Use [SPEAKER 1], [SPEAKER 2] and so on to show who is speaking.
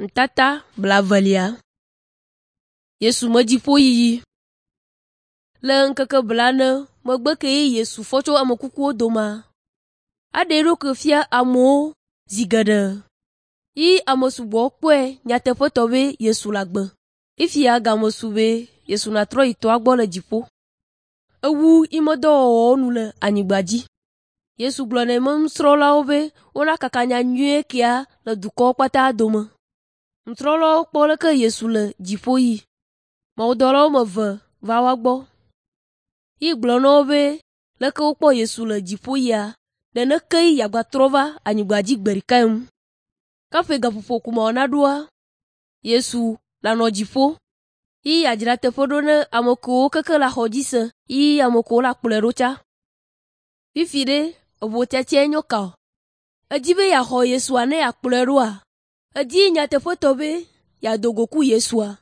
[SPEAKER 1] Ŋutata blaevelia. Yesu me dziƒoyiyi. Le ŋkeke blaene megbe kee Yesu fɔ tso ame kukuwo domea, eɖe eɖokui fia amewo zi geɖe yi ame sugbɔwo kpɔe nyateƒetɔ be Yesu le agbe. Fifia game su be Yesu natrɔ yi tɔa gbɔ le dziƒo. Ewu eƒe dɔwɔwɔwo nu le anyigba dzi. Yesu gblɔ na eƒe nusrɔ̃lawo be wonakaka nyanyui kia le dukɔwo katã dome. Nusrɔ̃lawo kpɔ leke Yesu le dziƒo yi. Mawudɔla woame eve va woa gbɔ yi gblɔ na wo be leke wokpɔ Yesu le dziƒo yia, neneke yeagatrɔ va anyigba dzi gbe ɖekae ŋu. Kaƒe gaƒoƒo ko me naɖoa, Yesu lanɔ dziƒo yi yeadzra teƒe ɖo ne ame kewo keke le axɔ dzi se yi ame kewo le akplɔe ɖo tsã. Fifi ɖe eʋu tiatia nyo ka o? Edzi be yeaxɔ Yesua ne yeakplɔe ɖoa? Edi nyateƒetɔ be yeado go ku Yesua?